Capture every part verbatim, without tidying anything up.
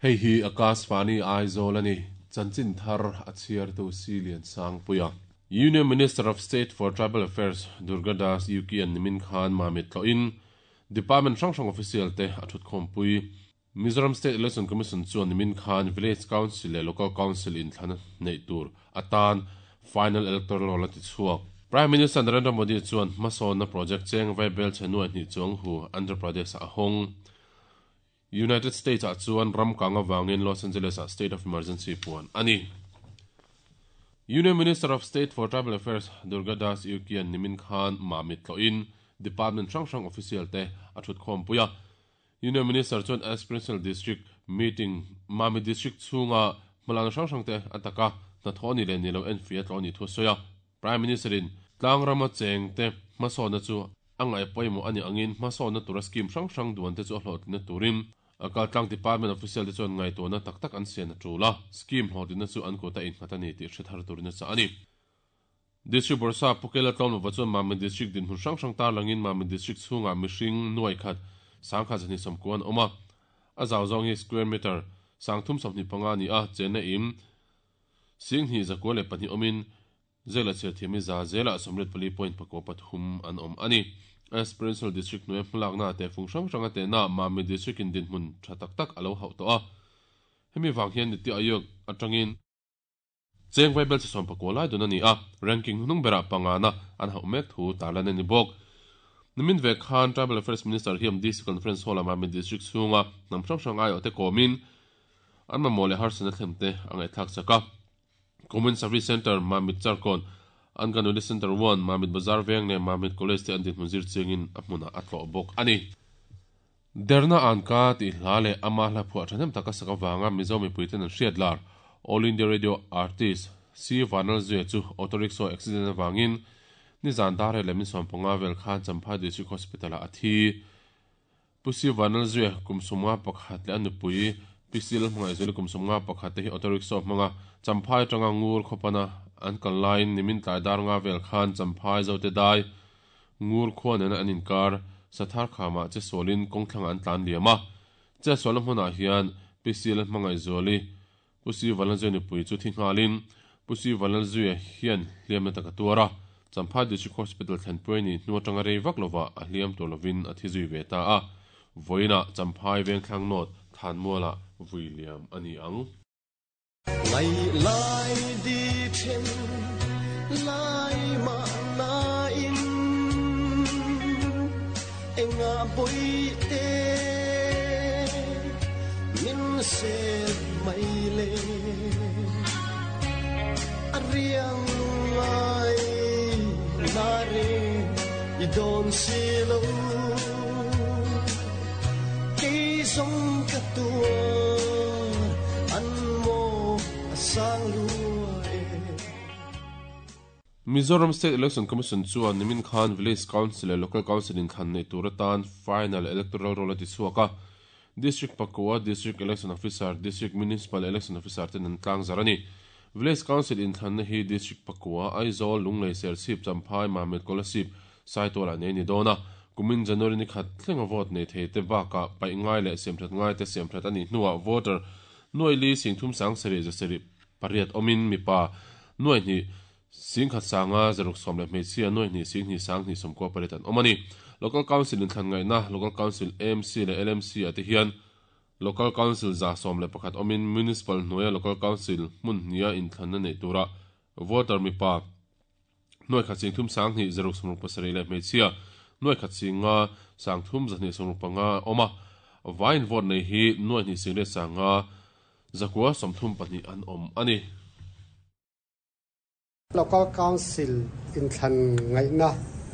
Hei hi Akashvani Aizawl ani chanchin thar a chhiar tu Silian Sangpuia. Union Minister of State for Tribal Affairs Durga Das Uikey an nimin khan Mamit tloin Department hrang hrang official te a thut khawmpui. Mizoram State Election Commission chuan nimin khan Village Council leh Local Council in thlana nei tur atan final electoral roll ti chhuak. Prime Minister Narendra Modi chuan hmasawnna project cheng vaibel chhenuai hnih chuang hu Andhra Pradesh a hawng. United States ah chuan ram kang awangin Los Angeles ah state of emergency puan ani. Union Minister of State for Tribal Affairs Durga Das Uikey an nimin khan Mamit tloin Department hrang hrang official te a thut khawmpuia. Union Minister chuan Aspirational District meeting Mamit District chhunga hmalakna hrang hrang te ataka hnathawh ni leh ni lo en fia tlaw ni thu sawi a. Prime Minister in tlangrama cheng te hmasawnna chu a ngaih pawimawh ani angin hmasawnna tura scheme hrang hrang duan te chu a hlawhtlinna turin akal tlang department official te chuan ngaihtuahna tak tak an sian a tul a, scheme hlawhtlinna chu an kut a innghat ani tih hre thar turin a chah ani. District Bawrhsap Pukela Tlawmlova chuan Mamit District dinhmun hrang hrang tarlangin Mamit District chhungah mihring nuai khat sangkhat zahnih sawmkua an awm a, a zau zawng hi square meter sangthum sawmhnih panga ani a, chenna im singhnih zakua leh pahnih awmin zela chhiar thiam hi za zela sawmriat pali point pakua pathum an awm ani. Aspirational District hnuai hmalakna te fung hrang hrang a tehna Mamit District in dinhmun tha tak tak a lo hauh tawh a, hemi vang hian Niti Aayog atangin cheng vaibel chi sawm pakua lai dun ani a, ranking hnung berah pangana an hauh mek thu tarlan ani bawk. Nimin ve khan Tribal Affairs Minister hiam D C Conference Hall a Mamit District chhunga hnam hrang hrang aiawh te kawmin an mamawh leh harsatna thlem te a ngaihthlak chak a. Common Service Center Mamit Charkawn, Anganwadi Center one, Mamit Bazar Veng leh Mamit College te an dinhmun zir chiangin a hmunah a tlawh bawk ani. Derna an ka tih hla leh ama hla phuah thahnem taka sak awanga Mizo mipui ten an hriat lar All India Radio artist C Vanlalzuia chu auto rickshaw accident awangin nizan dar leh min sawm panga vel khan Champhai District Hospital ah a thi. Pu C Vanlalzuia kum sawmnga pakhat leh a nupui P C Lalhmangaihzuali kum sawmnga pakhat te hi auto rickshaw hmanga Champhai atanga ngur khawpana an kal laiin nimin tlai dar nga vel khan Champhai Zote dai ngur khua nena an inkar sathar khamah che sualin kawngthlangah an tlan liam a. Che sualna hmunah hian P C Lalhmangaihzuali Pu C Vanlalzuia nupui chu thi nghalin Pu C Vanlalzuia hian hliamna taka tuar a, Champhai District Hospital thlenpui ni hnu atanga rei vak lova a hliam tur lovin a thi zui ve ta a. Vawiinah Champhai Vengthlang North Thanmualah vui liam ani ang. Ngai lai di then lai ma na in enga boi te min se mai le a riang ngai na re i don si lo ke song ka tua an mo sang lua e. Mizoram State Election Commission chuan nimin khan Village Council leh Local Council in thlan nei tur atan final electoral roll a ti chhuak a. District pakua District Election Officer, District Municipal Election Officer ten an tlang zar ani. Village Council in thlanna hi District pakua Aizawl, Lunglei, Serchhip, Champhai, Mamit, Kolasib, Saitual ah nei ni dawn a. Kumin January ni khat thlenga vote nei thei te bakah paih ngai leh siamthat ngai te siamthat ani hnuah voter nuai li singthum sang sarih zasarih pariat awmin mipa nuai hnih singkhat sanga zaruk sawm leh hmeichhia nuai hnih sing hnih sang hnih sawmkua pariat an awm ani. Local Council in thlan ngaihna Local Council A M C leh L M C ah te hian Local Council za sawm leh pakhat awmin Municipal hnuaia Local Council hmun hnia inthlanna nei tura voter mipa nuai khat singthum sang hnih zaruk sawmruk pasarih leh hmeichhia nuai khat singa sangthum zahnih sawmruk panga awm a. Vain vote nei hi nuai hnih sing leh sanga zakua sawmthum pahnih an awm ani. Local Council inthlan ngaihna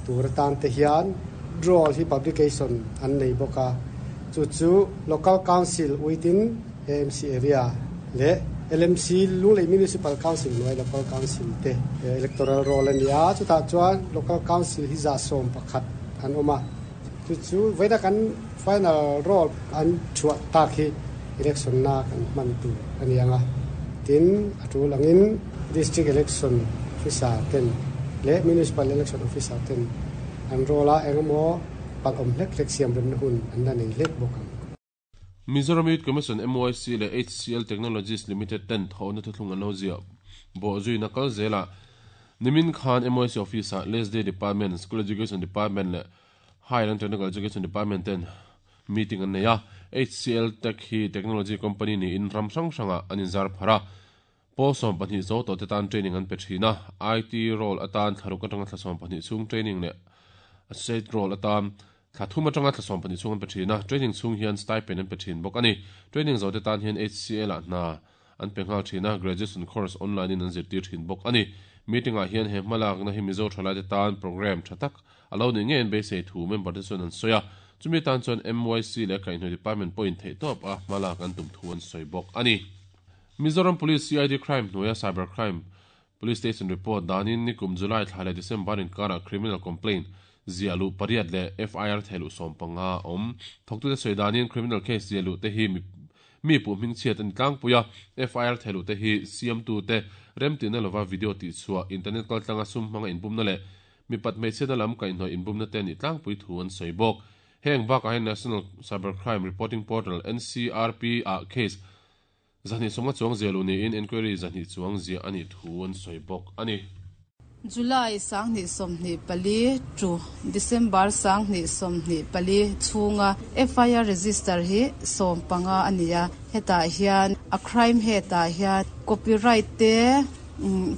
tur atan te hian draw hi publication an nei bawk a, chu chu Local Council within A M C area leh L M C Lunglei Municipal Council hnuai Local Council te electoral roll ani a, chutah chuan Local Council hi za sawm pakhat an awm a, chu chu vawiina kan final roll an chhuah tak hi election na kan hman tur ani anga. Tin a tul angin District Election Officer ten leh Municipal Election Officer ten an roll a engemaw pal awm hlek hlek siam remna hun an la nei hlek bawk ang. Mizoram Youth Commission M Y C le H C L Technologies Limited ten thawhna thuthlung an lo ziah bawh zuina kal zela nimin khan M Y C office ah Lesday Department, School Education Department le Higher and Technical Education Department ten meeting an nei a. H C L Tech hi technology company ni in ram hrang hranga an inzar phara pawl sawm pahnih zo tawh te tan training an pe thin a. I T role atan thlaruk atanga thla sawm pahnih chhung training leh associate role atan thla thum atanga thla sawm pahnih chhung an pe thin a. Training chhung hian stipend an pe thin bawk ani. Training zo te tan hian H C L ah hna an pe nghal thin a. Graduation course online in an zirtir thin bawk ani. Meeting ah hian he hmalak na hi Mizo thalai te tan program tha tak alo ni nge an beisei thu member te chuan an sawi a. Chumi tan chuan M Y C leh kaihhnawih department pawhin theih tawp a hmalak an tum thu an sawi bawk ani. Mizoram Police C I D crime hnuaia cyber crime police station report danin nikum July thla leh December inkara criminal complaint ziah luh pariat leh F I R theiluh sawm panga awm. Thawktute sawi danin criminal case ziah luh te hi mi pu hming chhiat an tlangpui a. F I R theiluh te hi siamtu te remtina lova video tih chhuah internet kaltlanga sum hmanga inbumna leh mi pat hmeichhiatna lam kaihhnawih inbumna te ni tlangpui thu an sawi bawk. Heng bakah hian National Cybercrime Reporting Portal N C R P ah case zahnih sawmnga chuang ziah luh niin inquiry zahnih chuang ziah ani thu an sawi bawk ani. July sanghnih sawmhnih pali to December sanghnih sawmhnih pali chhunga F I R register hi sawm panga ania. Hetah hian a crime hetah hian copyright te,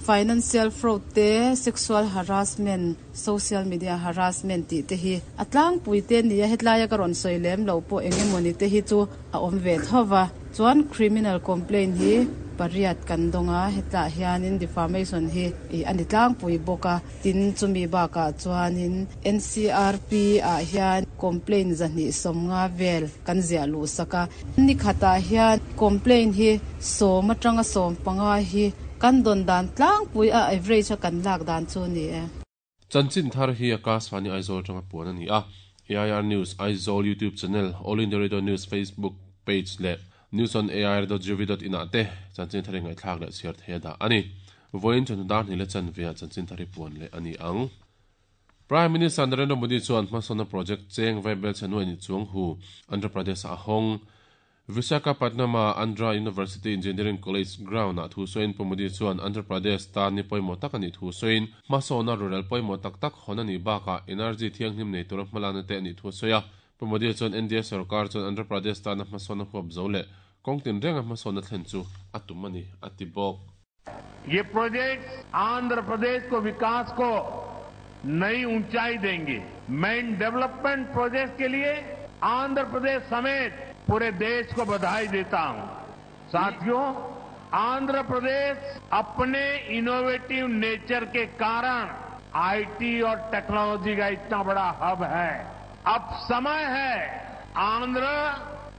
financial fraud te, sexual harassment, social media harassment ti te hi atlangpui te nia. Hetlai ka rawn sawi lem lo pawh engemawni te hi chu a awm ve thova. Chuan criminal complaint hi pariat kan donga. Hetah hianin defamation hi ani tlangpui bawk a. Tin chumi bakah chuanin N C R P ah hian complaint zahnih sawmnga vel kan ziah luh sak a. Ni khatah hian complaint hi sawm atanga sawm panga hi kan don dan tlangpui a average a kan lak dan chu ni e. Chanchin thar hi Akashvani Aizawl atanga puan ani a. A I R News Aizawl YouTube channel, All India Radio News Facebook page leh news on A I R dot gov dot in ah te chanchin thar ngai thlak leh chhiar thei da ani. Voin chun dar ni le chan via chanchin thar puan le ani ang. Prime Minister Narendra Modi chuan hmasawna project cheng vaibel chanwai ni chuang hu Andhra Pradesh a hawng. Visakhapatnam Andhra University Engineering College ground ah thu sawiin Pu Modi chuan Andhra Pradesh tan ni pawimawh tak ani thu sawiin hmasawna rural pawimawh tak tak hawn ani bakah energy thianghlim nei tura hmalakna te ani thu sawi a. Pu Modi chuan N D A sarkar chuan Andhra Pradesh tana hmasawna huap zo leh kawngtin renga hmasawna thlen chu a tum ani a ti bawk. ये project Andhra Pradesh को विकास को नई ऊंचाई देंगे। मैं इन development project के लिए आंध्र प्रदेश समेत पूरे देश को बधाई देता हूं। साथियों, आंध्र प्रदेश अपने इनोवेटिव नेचर के कारण IT और टेक्नोलॉजी का इतना बड़ा हब है। अब समय है आंध्र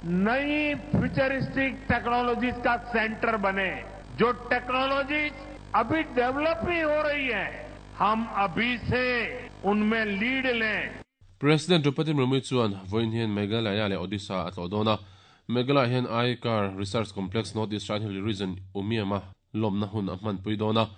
नई फ्यूचरिस्टिक टेक्नोलॉजीज का सेंटर बने। जो टेक्नोलॉजीज अभी डेवलप ही हो रही है, हम अभी से उनमें लीड लें। President Draupadi Murmu chuan vawiin hian Meghalaya leh Odisha a tlawh dawn a. Meghalaya hian I C A R Research Complex North East Hill Region Umiama lawmna hun a hmanpui dawn a.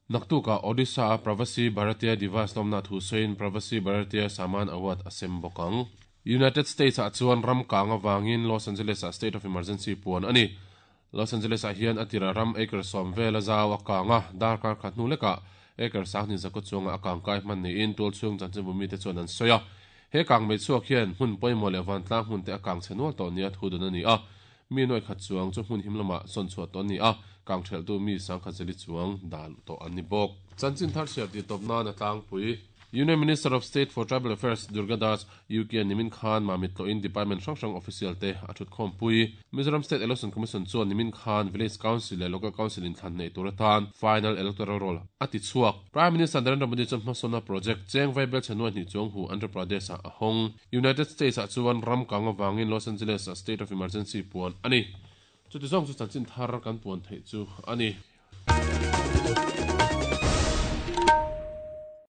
Naktuka Odisha a Pravasi Bharatiya Divas lawmna thu sawiin Pravasi Bharatiya Saman Award a sem bawk ang. United States ah chuan ram kang awangin Los Angeles ah state of emergency puan ani. Los Angeles ah hian atira ram acre sawm vel a zau a kang a. Darkar khat hnu lekah acre sanghnih zakawt chunga a kang kai hman niin tual chhung chanchin bumi te chuan an sawi a. He kang mei chhuak hian hmun pawimawh leh vantlang hmun te a kang chhe nual tawh nia thu dawn ani a. Mi nuai khat chuang chu hmun him lamah sawn chhuah tawh ani a. Kang theltu mi sangkhat zeli chuang dal tawh ani bawk. Chanchin thar chhiar ti tawp nan a tlangpui. Union Minister of State for Tribal Affairs Durga Das U K Nimin Khan Mamit Tlo in Department hrang hrang official te a thut khawm pui. Mizoram State Election Commission chuan Nimin Khan Village Council leh Local Council in thlan nei tur atan final electoral roll a ti chhuak. Prime Minister Narendra Modi chuan hmasawna project cheng vaibel chhenua hnih chuang hu Andhra Pradesh ah a hawng. United States ah chuan ram kang awangin Los Angeles ah state of emergency puan ani. Chuti zawng chu chanchin thar kan puan theih chu ani.